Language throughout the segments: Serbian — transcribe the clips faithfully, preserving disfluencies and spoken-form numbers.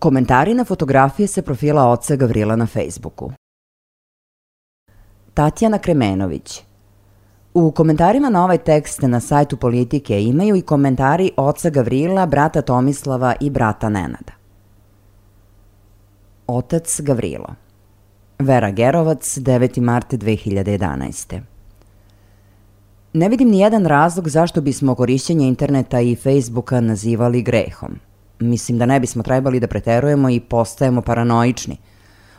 Komentari na fotografije sa profila oca Gavrila na Facebooku. Tatjana Kremenović. U komentarima na ovaj tekst na sajtu Politike imaju i komentari oca Gavrila, brata Tomislava i brata Nenada. Otac Gavrilo. Vera Gerovac, deveti mart dve hiljade jedanaeste. Ne vidim ni jedan razlog zašto bismo korišćenje interneta i Facebooka nazivali grehom. Mislim da ne bismo trebali da preterujemo i postajemo paranoični.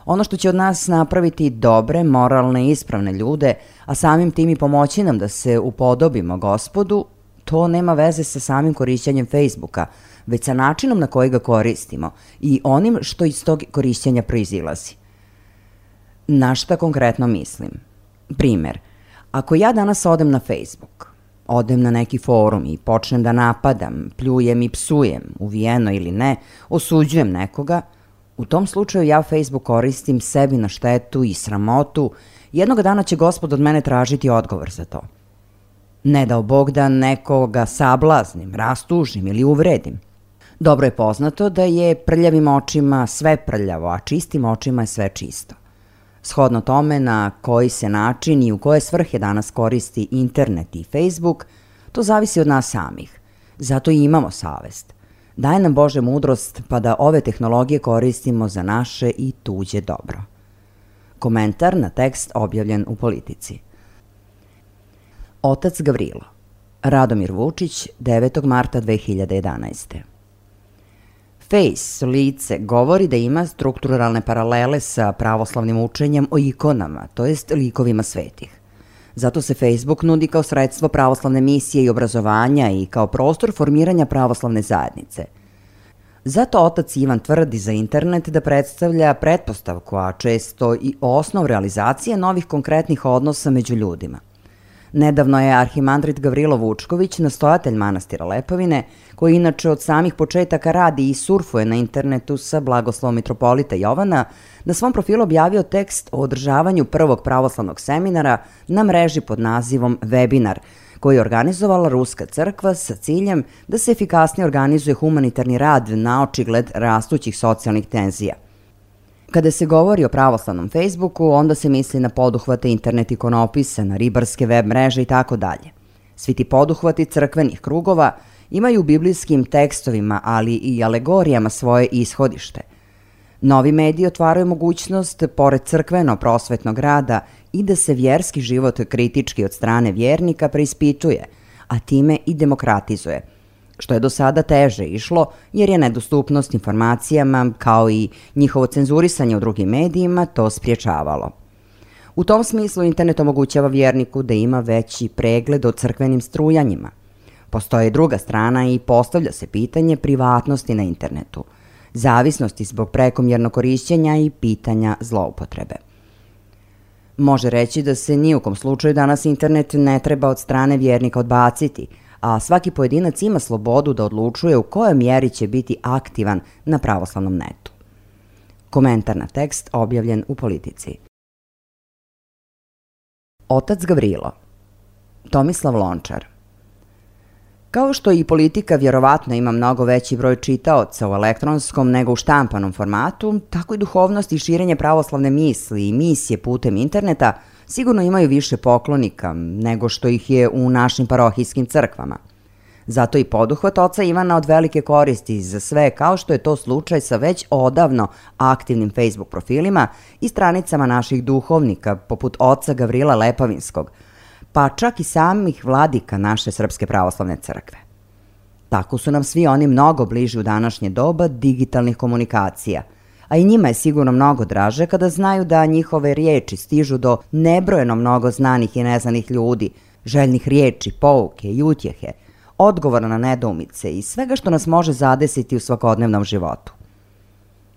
Ono što će od nas napraviti dobre, moralne i ispravne ljude, a samim tim i pomoći nam da se upodobimo Gospodu, to nema veze sa samim korišćenjem Facebooka, već sa načinom na koji ga koristimo i onim što iz tog korišćenja proizilazi. Na šta konkretno mislim? Primer, ako ja danas odem na Facebook, odem na neki forum i počnem da napadam, pljujem i psujem, uvijeno ili ne, osuđujem nekoga, u tom slučaju ja Facebook koristim sebi na štetu i sramotu Jednog dana će Gospod od mene tražiti odgovor za to. Ne dao Bog da nekoga sablaznim, rastužim ili uvredim. Dobro je poznato da je prljavim očima sve prljavo, a čistim očima je sve čisto. Shodno tome na koji se način i u koje svrhe danas koristi internet i Facebook, to zavisi od nas samih. Zato i imamo savest. Daj nam Bože mudrost pa da ove tehnologije koristimo za naše i tuđe dobro. Komentar na tekst objavljen u Politici. Otac Gavrilo. Radomir Vučić, devetog marta dve hiljade jedanaeste. Face, lice, govori da ima strukturalne paralele sa pravoslavnim učenjem o ikonama, to jest likovima svetih. Zato se Facebook nudi kao sredstvo pravoslavne misije i obrazovanja i kao prostor formiranja pravoslavne zajednice. Zato otac Ivan tvrdi za internet da predstavlja pretpostavku, a često i osnov realizacije novih konkretnih odnosa među ljudima. Nedavno je arhimandrit Gavrilo Vučković, nastojatelj manastira Lepovine, koji inače od samih početaka radi i surfuje na internetu sa blagoslovom mitropolita Jovana, na svom profilu objavio tekst o održavanju prvog pravoslavnog seminara na mreži pod nazivom Webinar, koji je organizovala Ruska crkva sa ciljem da se efikasnije organizuje humanitarni rad na očigled rastućih socijalnih tenzija. Kada se govori o pravoslavnom Facebooku, onda se misli na poduhvate internet ikonopisa, na ribarske web mreže i tako dalje. Svi ti poduhvati crkvenih krugova imaju u biblijskim tekstovima, ali i alegorijama svoje ishodište. Novi mediji otvaraju mogućnost, pored crkveno-prosvetnog rada, i da se vjerski život kritički od strane vjernika preispituje, a time i demokratizuje, što je do sada teže išlo jer je nedostupnost informacijama kao i njihovo cenzurisanje u drugim medijima to spriječavalo. U tom smislu internet omogućava vjerniku da ima veći pregled o crkvenim strujanjima. Postoji druga strana i postavlja se pitanje privatnosti na internetu, zavisnosti zbog prekomjernog korišćenja i pitanja zloupotrebe. Može reći da se ni u kom slučaju danas internet ne treba od strane vjernika odbaciti, a svaki pojedinac ima slobodu da odlučuje u kojoj mjeri će biti aktivan na pravoslavnom netu. Komentar na tekst objavljen u Politici. Otac Gavrilo. Tomislav Lončar. Kao što i Politika vjerovatno ima mnogo veći broj čitaoca u elektronskom nego u štampanom formatu, tako i duhovnost i širenje pravoslavne misli i misije putem interneta sigurno imaju više poklonika nego što ih je u našim parohijskim crkvama. Zato i poduhvat oca Ivana od velike koristi za sve, kao što je to slučaj sa već odavno aktivnim Facebook profilima i stranicama naših duhovnika, poput oca Gavrila Lepovinskog, pa čak i samih vladika naše Srpske pravoslavne crkve. Tako su nam svi oni mnogo bliži u današnje doba digitalnih komunikacija, a i njima je sigurno mnogo draže kada znaju da njihove riječi stižu do nebrojeno mnogo znanih i neznanih ljudi, željnih riječi, pouke i utjehe, odgovora na nedoumice i svega što nas može zadesiti u svakodnevnom životu.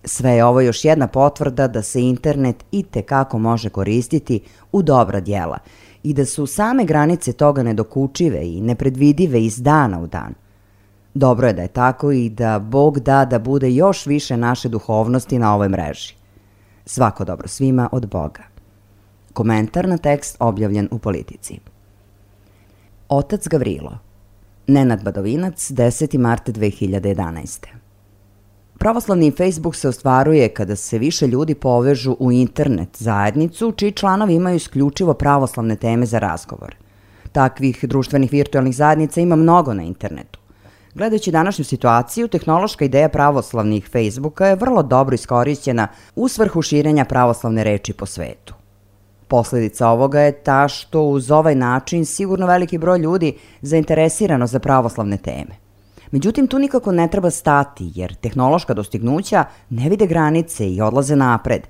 Sve je ovo još jedna potvrda da se internet i tekako može koristiti u dobra djela i da su same granice toga nedokučive i nepredvidive iz dana u dan. Dobro je da je tako i da Bog da da bude još više naše duhovnosti na ovoj mreži. Svako dobro svima od Boga. Komentar na tekst objavljen u Politici. Otac Gavrilo. Nenad Badovinac, deseti mart dve hiljade jedanaeste. Pravoslavni Facebook se ostvaruje kada se više ljudi povežu u internet zajednicu, čiji članovi imaju isključivo pravoslavne teme za razgovor. Takvih društvenih virtualnih zajednica ima mnogo na internetu. Gledajući današnju situaciju, tehnološka ideja pravoslavnih Facebooka je vrlo dobro iskorišćena u svrhu širenja pravoslavne reči po svetu. Posljedica ovoga je ta što uz ovaj način sigurno veliki broj ljudi zainteresirano za pravoslavne teme. Međutim, tu nikako ne treba stati, jer tehnološka dostignuća ne vide granice i odlaze napred.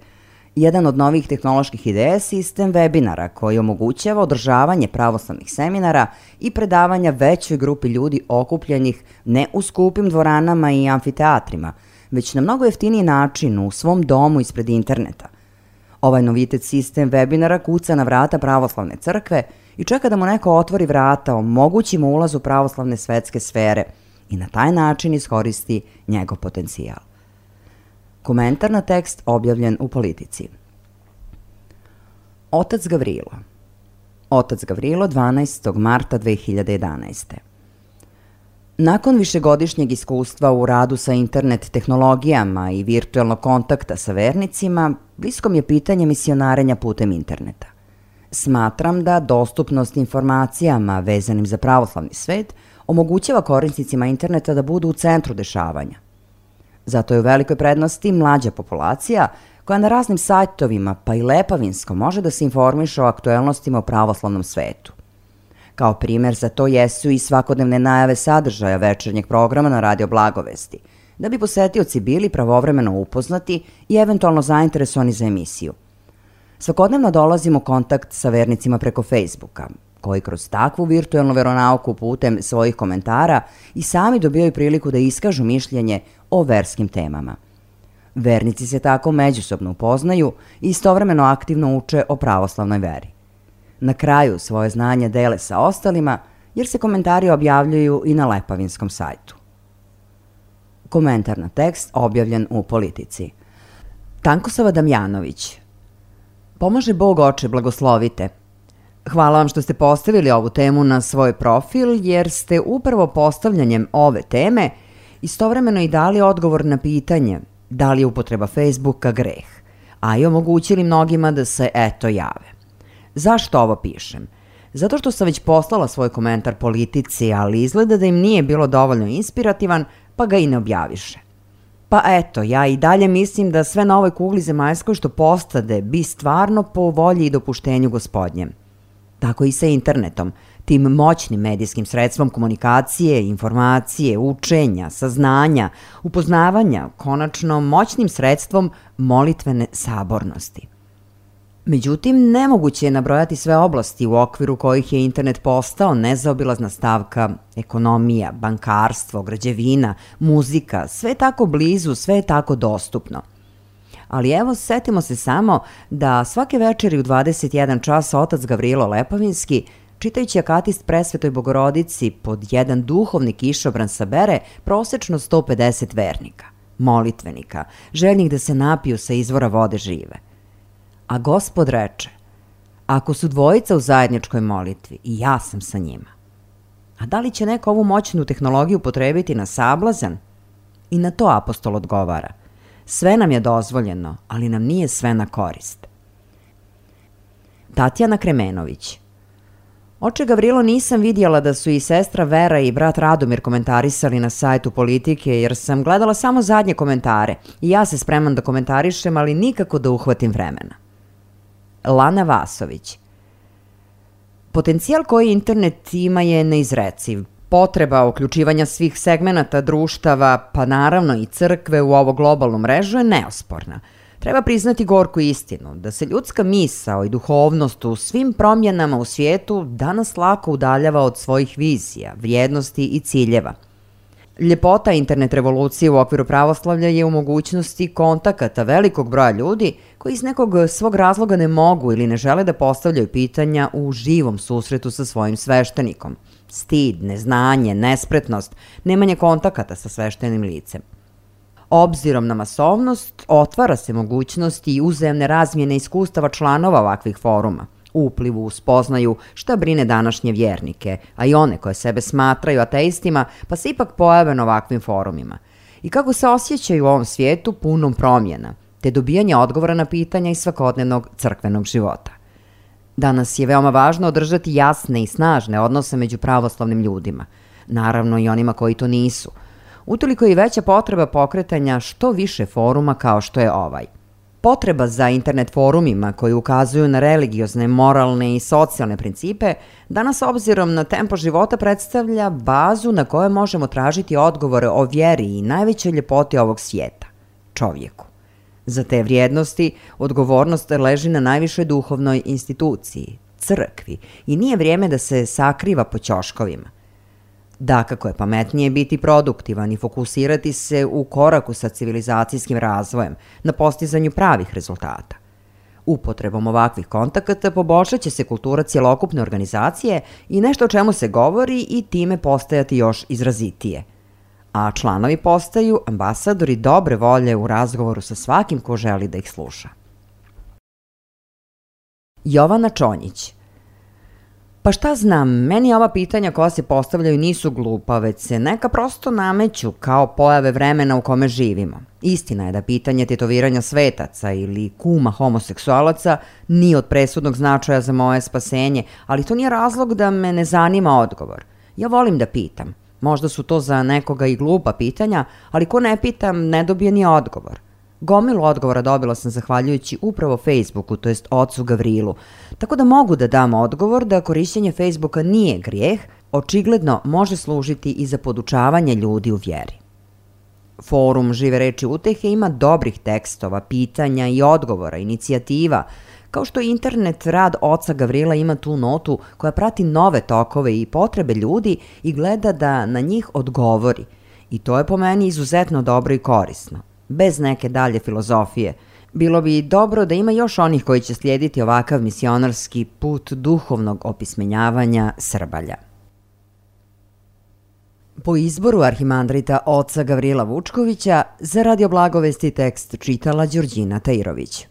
Jedan od novih tehnoloških ideja je sistem webinara koji omogućava održavanje pravoslavnih seminara i predavanja većoj grupi ljudi okupljenih ne u skupim dvoranama i amfiteatrima, već na mnogo jeftiniji način u svom domu ispred interneta. Ovaj novitet sistem webinara kuca na vrata pravoslavne crkve i čeka da mu neko otvori vrata, omogući mu ulaz u pravoslavne svetske sfere i na taj način iskoristi njegov potencijal. Komentar na tekst objavljen u Politici. Otac Gavrilo. Otac Gavrilo, dvanaestog marta dve hiljade jedanaeste. Nakon višegodišnjeg iskustva u radu sa internet tehnologijama i virtualnog kontakta sa vernicima, blisko mi je pitanje misionarenja putem interneta. Smatram da dostupnost informacijama vezanim za pravoslavni svet omogućava korisnicima interneta da budu u centru dešavanja. Zato je u velikoj prednosti mlađa populacija koja na raznim sajtovima pa i lepavinsko može da se informiše o aktuelnostima u pravoslavnom svetu. Kao primer za to jesu i svakodnevne najave sadržaja večernjeg programa na Radio Blagovesti, da bi posetioci bili pravovremeno upoznati i eventualno zainteresovani za emisiju. Svakodnevno dolazimo u kontakt sa vernicima preko Facebooka, koji kroz takvu virtualnu veronauku putem svojih komentara i sami dobijaju priliku da iskažu mišljenje o verskim temama. Vernici se tako međusobno upoznaju i istovremeno aktivno uče o pravoslavnoj veri. Na kraju svoje znanje dele sa ostalima, jer se komentari objavljuju i na lepavinskom sajtu. Komentar na tekst objavljen u Politici. Tankosava Damjanović. Pomaže Bog, oče, blagoslovite. Hvala vam što ste postavili ovu temu na svoj profil, jer ste upravo postavljanjem ove teme istovremeno i dali odgovor na pitanje da li je upotreba Facebooka greh, a i omogućili mnogima da se eto jave. Zašto ovo pišem? Zato što sam već poslala svoj komentar Politici, ali izgleda da im nije bilo dovoljno inspirativan, pa ga i ne objaviše. Pa eto, ja i dalje mislim da sve na ovoj kugli zemaljskoj što postade bi stvarno po volji i dopuštenju Gospodnjem. Tako i sa internetom, tim moćnim medijskim sredstvom komunikacije, informacije, učenja, saznanja, upoznavanja, konačno moćnim sredstvom molitvene sabornosti. Međutim, nemoguće je nabrojati sve oblasti u okviru kojih je internet postao nezaobilazna stavka ekonomija, bankarstvo, građevina, muzika, sve je tako blizu, sve je tako dostupno. Ali evo, setimo se samo da svake večeri u dvadeset jedan čas otac Gavrilo Lepavinski, čitajući akatist Presvetoj Bogorodici, pod jedan duhovni kišobran sabere prosečno sto pedeset vernika, molitvenika, željnih da se napiju sa izvora vode žive. A Gospod reče, ako su dvojica u zajedničkoj molitvi, i ja sam sa njima. A da li će neko ovu moćnu tehnologiju potrebiti na sablazan? I na to apostol odgovara. Sve nam je dozvoljeno, ali nam nije sve na korist. Tatjana Kremenović. Oče Gavrilo, nisam vidjela da su i sestra Vera i brat Radomir komentarisali na sajtu Politike, jer sam gledala samo zadnje komentare i ja se spremam da komentarišem, ali nikako da uhvatim vremena. Lana Vasović. Potencijal koji internet ima je neizreciv. Potreba uključivanja svih segmenata društava, pa naravno i crkve u ovo globalnu mrežu je neosporna. Treba priznati gorku istinu, da se ljudska misao i duhovnost u svim promjenama u svijetu danas lako udaljava od svojih vizija, vrijednosti i ciljeva. Ljepota internet revolucije u okviru pravoslavlja je u mogućnosti kontakata velikog broja ljudi koji iz nekog svog razloga ne mogu ili ne žele da postavljaju pitanja u živom susretu sa svojim sveštenikom. Stid, neznanje, nespretnost, nemanje kontakata sa sveštenim licem. Obzirom na masovnost, otvara se mogućnost i uzajamne razmjene iskustava članova ovakvih foruma, uplivu u spoznaju šta brine današnje vjernike, a i one koje sebe smatraju ateistima, pa se ipak pojave na ovakvim forumima. I kako se osjećaju u ovom svijetu punom promjena, te dobijanje odgovora na pitanja iz svakodnevnog crkvenog života. Danas je veoma važno održati jasne i snažne odnose među pravoslavnim ljudima, naravno i onima koji to nisu. Utoliko je i veća potreba pokretanja što više foruma kao što je ovaj. Potreba za internet forumima koji ukazuju na religiozne, moralne i socijalne principe danas obzirom na tempo života predstavlja bazu na kojoj možemo tražiti odgovore o vjeri i najvećoj ljepoti ovog svijeta, čovjeku. Za te vrijednosti odgovornost leži na najvišoj duhovnoj instituciji, crkvi, i nije vrijeme da se sakriva po ćoškovima. Dakako je pametnije biti produktivan i fokusirati se u koraku sa civilizacijskim razvojem, na postizanju pravih rezultata. Upotrebom ovakvih kontakata poboljšat će se kultura cjelokupne organizacije i nešto o čemu se govori i time postajati još izrazitije. A članovi postaju ambasadori dobre volje u razgovoru sa svakim ko želi da ih sluša. Jovana Čonjić. Pa šta znam, meni ova pitanja koja se postavljaju nisu glupa, već se neka prosto nameću kao pojave vremena u kome živimo. Istina je da pitanje tetoviranja svetaca ili kuma homoseksualaca nije od presudnog značaja za moje spasenje, ali to nije razlog da me ne zanima odgovor. Ja volim da pitam. Možda su to za nekoga i glupa pitanja, ali ko ne pitam ne dobije ni odgovor. Gomilu odgovora dobila sam zahvaljujući upravo Facebooku, to jest ocu Gavrilu, tako da mogu da dam odgovor da korišćenje Facebooka nije grijeh, očigledno može služiti i za podučavanje ljudi u vjeri. Forum Žive reči utehe ima dobrih tekstova, pitanja i odgovora, inicijativa, kao što internet rad oca Gavrila ima tu notu koja prati nove tokove i potrebe ljudi i gleda da na njih odgovori. I to je po meni izuzetno dobro i korisno. Bez neke dalje filozofije. Bilo bi dobro da ima još onih koji će slijediti ovakav misionarski put duhovnog opismenjavanja Srbalja. Po izboru arhimandrita oca Gavrila Vučkovića, za Radio Blagovesti tekst čitala Đurđina Tajirović.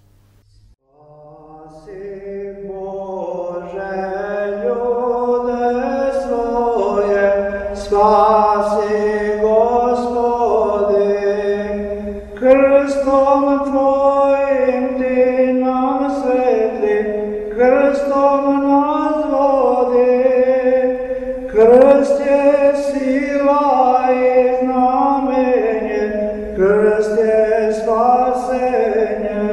Spasi Gospode, krstom Tvojim Ti nam svetli, krstom nas vodi, krst je sila i znamenje, krst je spasenje,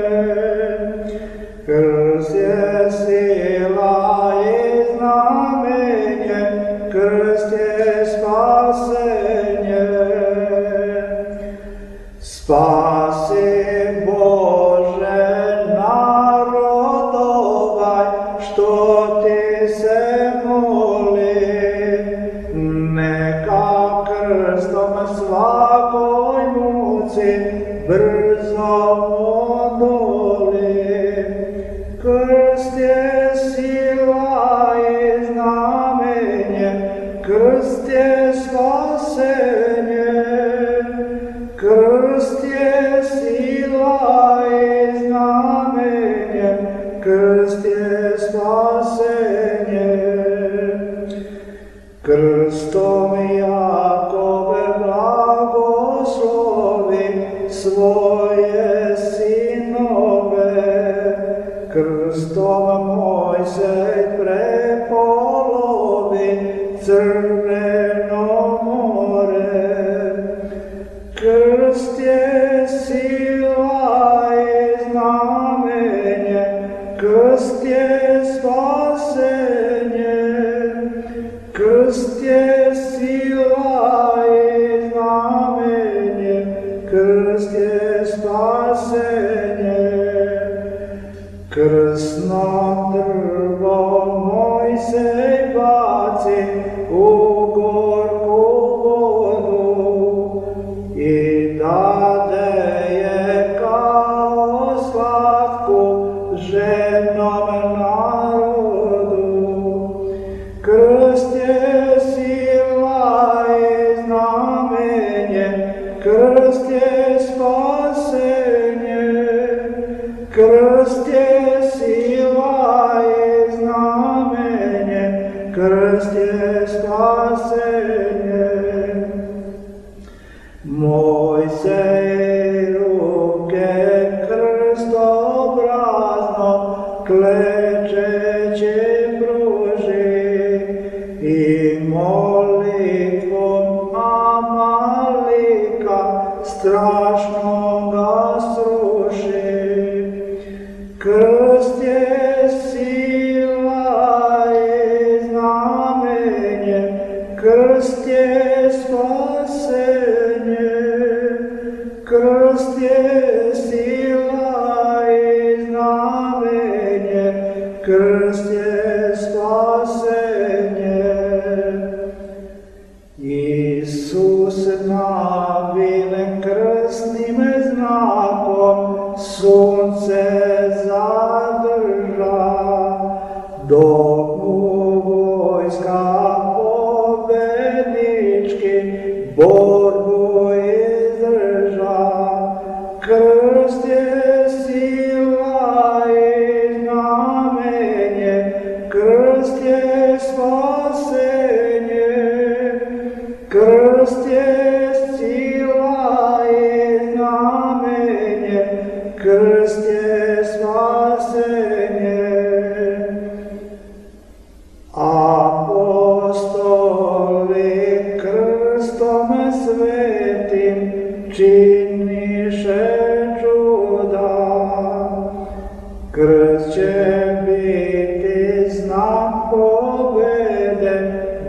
krst je sila i znamenje, krst je spasenje. Spasi Bože narod ovaj, što Ti se moli, neka krstom svakoj muci brzo odoli. Krst je sila i znamenje, krst je spasenje, krst je sila i znamenje, krst je spasenje. Krstom Jakove blagoslovi svoje sinove, krstom Mojsej prepolovi Crveno more. Krst je sila i znamenje, krst je spasenje, krst je sila i znamenje, krst je spasenje. Krsno drvo Mojsej baci u gorku vodu i dade je kao slatku žednom narodu. Krst je sila i znamenje, krst je spasenje, krst je sila i znamenje, krst je spasenje. Mojsej ruke krstobrazno klečeće pruži i molitvom Amalika strašno ga sruši. Krst je sila i znamenje, krst je spasenje, krst je sila i znamenje, krst je spasenje. Isus na vilen krstnim znakom sunce zadrža, dok mu vojska pobednički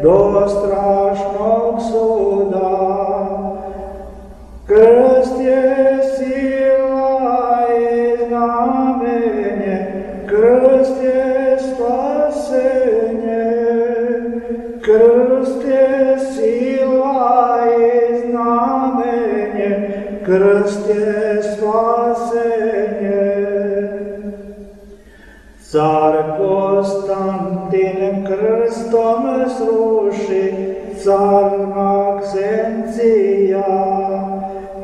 do strašnog suda. Krst je sila i znamenje, krst je spasenje. Krst je sila i znamenje, krst je spasenje. Car Konstantin krstom sruši, car Maksencija,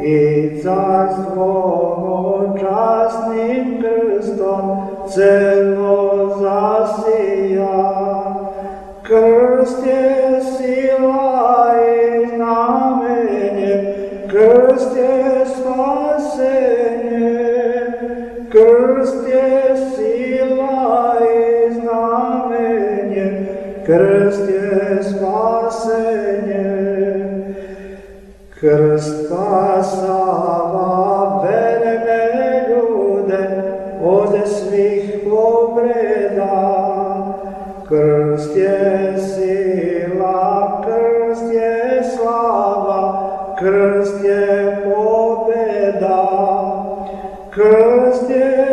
i carstvom časnim krstom celo zasija. Krst je sila i znamenje, krst je spasenje. Krst je sila i znamenje, krst je spasenje. Krst spasava verne ljude od svih povreda. Krst je sila, krst je slava, krst je pobjeda. Krst je